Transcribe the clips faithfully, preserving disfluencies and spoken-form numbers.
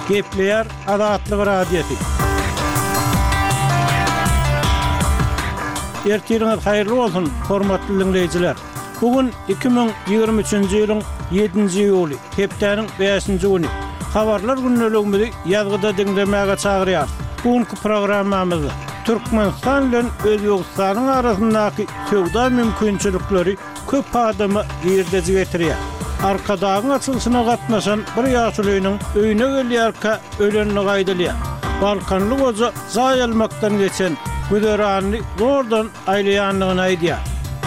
Gepleýär Azatlyk Radiosy. Ertiriňiz haýyrly bolsun, hormatly diňleýjiler! Bu gün iki müň ýigrimi üçünji ýylyň ýedinji iýuly, hepdäniň bäşinji güni. Habarlar gündeligimizi ýazgyda diňlemäge çagyrýarys. Bu günki programmamyzda Türkmenistan bilen Özbegistanyň arasyndaky söwda mümkinçilikleri köp adama girdeji getirýär. Arkadagyň açylyşyna gatnaşan bir ýaşulynyň öýüne gelýärkä ölendigi aýdylýar. Balkanly goja jaý almakdan geçen, güzeranyny zordan aýlaýandygyny aýdýar.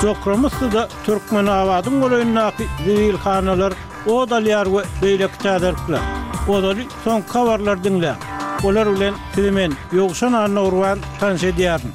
Jokramussyda Türkmenabadyň golaýyndaky zibilhanalar ot alýar we beýleki täzelikler. Ozaly soňky habarlary diňläň. Olar bilen sizi men, Ýowşan Annagurban tanyş edýärin.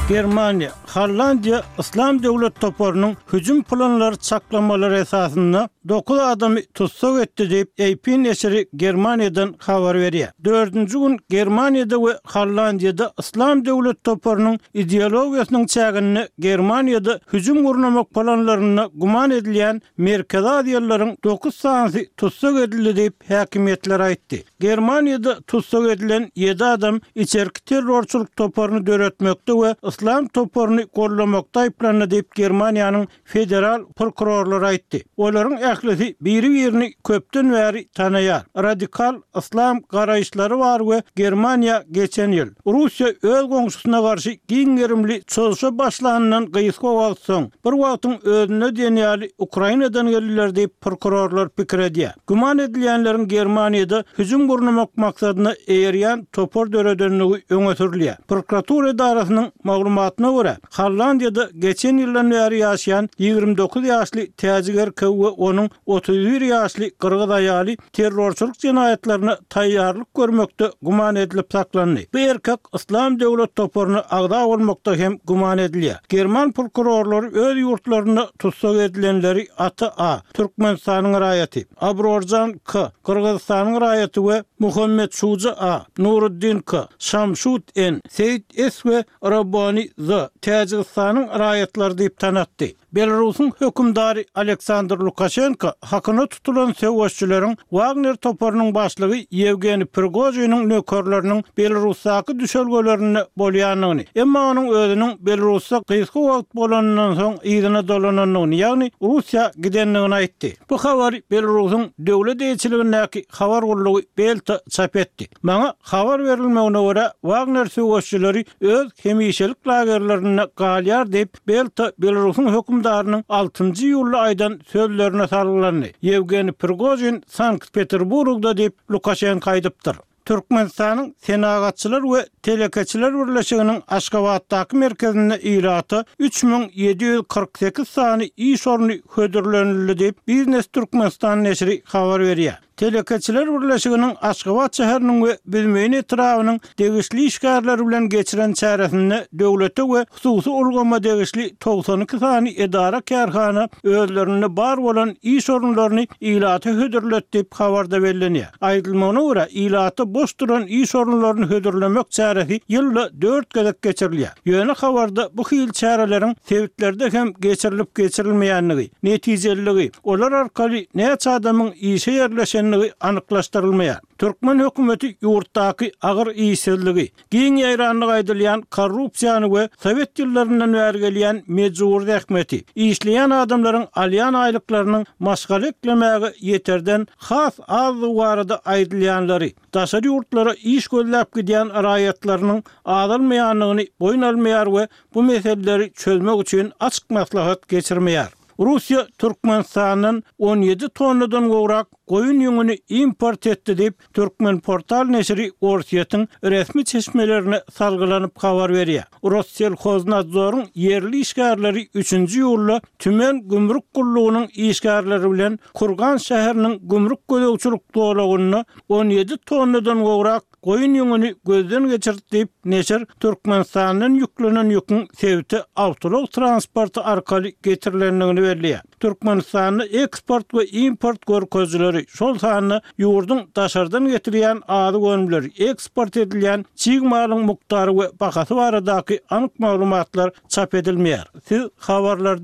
Germaniýa, Hollandiýa Yslam döwlet toparynyň hüjüm planlary çaklamalary esasynda dokuz adamy tussag etdi diýip, A P neşiri Germaniýadan habar berýär. Dördünji gün Germaniýada we Hollandiýada Yslam döwlet toparynyň ideologiýasynyň çäginde Germaniýada hüjüm gurnamak planlarynda güman edilýän Merkezi Aziýalylaryň dokuz sanysy tussag edildi diýip, häkimiýetler aýtdy. Germaniýada tussag edilen ýedi adam içerki terrorçylyk toparyny döretmekde we Yslam toparyny gollamakda aýyplandy diýip, Germaniýanyň federal prokurorlary aýtdy. Olaryň ählisi biri-birini köpden bäri tanaýar. Radikal yslam garaýyşlary bar we Germaniýa geçen ýyl Russiýa öz goňşusyna garşy giň gerimli çozuşa başlanyndan gysga wagt soň, bir wagtyň özünde diýen ýaly Ukrainadan geldiler diýip, prokurorlar pikir edýär. Güman edilýänleriň Germaniýada hüjüm gurnamak maksadyna eýerýän topar döredenligi öňe sürülýär. Prokuratura edarasynyň maglumatyna görä, Hollandiýada geçen ýyldan bäri ýaşaýan ýigrimi dokuz ýaşly täjik erkegi we onuň otuz bir ýaşly gyrgyz aýaly terrorçylyk jenaýatlaryna taýýarlyk görmekde güman edilip saklandy. Bu erkek Yslam döwlet toparyna agza bolmakda hem güman edilýär. German prokurorlary öz ýurtlarynda tussag edilenleri Ata A, Türkmenistanyň raýaty, Abrorjan K, Gyrgyzystanyň raýaty we Muhammet Şuja A, Nuruddin K, Şamşut N, Seýit S we Rabbani Z, Täjigistanyň raýatlary diýip tanatdy. Belarusyň hökümdary Aleksandr Lukaşenko hakyna tutulan söweşçileriň Wagner toparynyň başlygy Ýewgeniý Prigožiniň nökerleriniň Belarusdaky düşelgelerinde bolýandygyny, emma onuň özüniň Belarusda gysga wagt bolanyndan soň yzyna dolanandygyny, ýagny Russiýa gidendigini aýtdy. Bu habary Belarusyň döwlet eýeçiligindäki habar gullugy Belta çap etdi. Maňa habar berilmegine görä, Wagner söweşçileri öz hemişelik lagerlerinde galýar diýip, Belta Belarusyň hökümdarynyň altynjy iýulda aýdan sözlerine salgylandy. Ýewgeniý Prigožin Sankt-Peterburgda diýip, Lukaşenko aýdypdyr. Türkmenistanyň Senagatçylar we Telekeçiler birleşiginiň Aşgabatdaky merkezinde ilata üç müň ýedi ýüz kyrk sekiz sany iş orny hödürlenildi diýip, Biznes Türkmenistan neşiri habar berýär. Telekeçiler birleşiginiň Aşgabat şäheriniň we Büzmeýin etrabynyň degişli işgärleri bilen geçiren çäresinde döwlete we hususy ulgama degişli togsan iki sany edara-kärhana özlerinde bar bolan iş orunlaryny ilata hödürledi diýip habarda bellenýär. Aýdylmagyna görä, ilata boş duran iş orunlaryny hödürlemek çäresi ýylda dört gezek geçirilýär. Ýöne habarda bu hili çäreleriň sebitlerde hem geçirilip geçirilmeýändigi, netijeliligi, olar arkaly näçe adamyň işe ýerleşendigi anyklaşdyrylmaýar. Türkmen hökümeti ýurtdaky agyr işsizligi, giň ýaýranlygy aýdylýan korrupsiýany we sowet ýyllaryndan bäri gelýän mejbury zähmeti, işleýän adamlaryň alýan aýlyklarynyň maşgala eklemäge ýeterden has azdygy barada aýdylýanlary, daşary ýurtlara iş gözläp gidýän raýatlarynyň azalmaýandygyny boýun almaýar we bu meseleleri çözmek üçin açyk maslahat geçirmeýär. Russiýa Türkmenistandan on ýedi tonnadan gowrak goýun ýüňüni import etdi diýip, Türkmenportal neşiri Orsýetiň resmi çeşmelerine salgylanyp habar berýär. Rosselhoznadzoryň ýerli işgärleri üçünji iýulda Tümen gümrük gullugynyň işgärleri bilen Kurgan şäheriniň gümrük gözegçilik zolagynda on ýedi tonnadan gowrak goýun ýüňüni gözden geçirdi diýip, neşir Türkmenistandan ýüklenen ýüküň sebite awtoulag transporty arkaly getirilendigini belleýär. Türkmenistanda eksport we import görkezijileri, şol sanda ýurduň daşardan getirýän azyk önümleri, eksport edilýän çig malyň mukdary we bahasy baradaky anyk maglumatlar çap edilmeýär. Siz habarlary diňlediniz.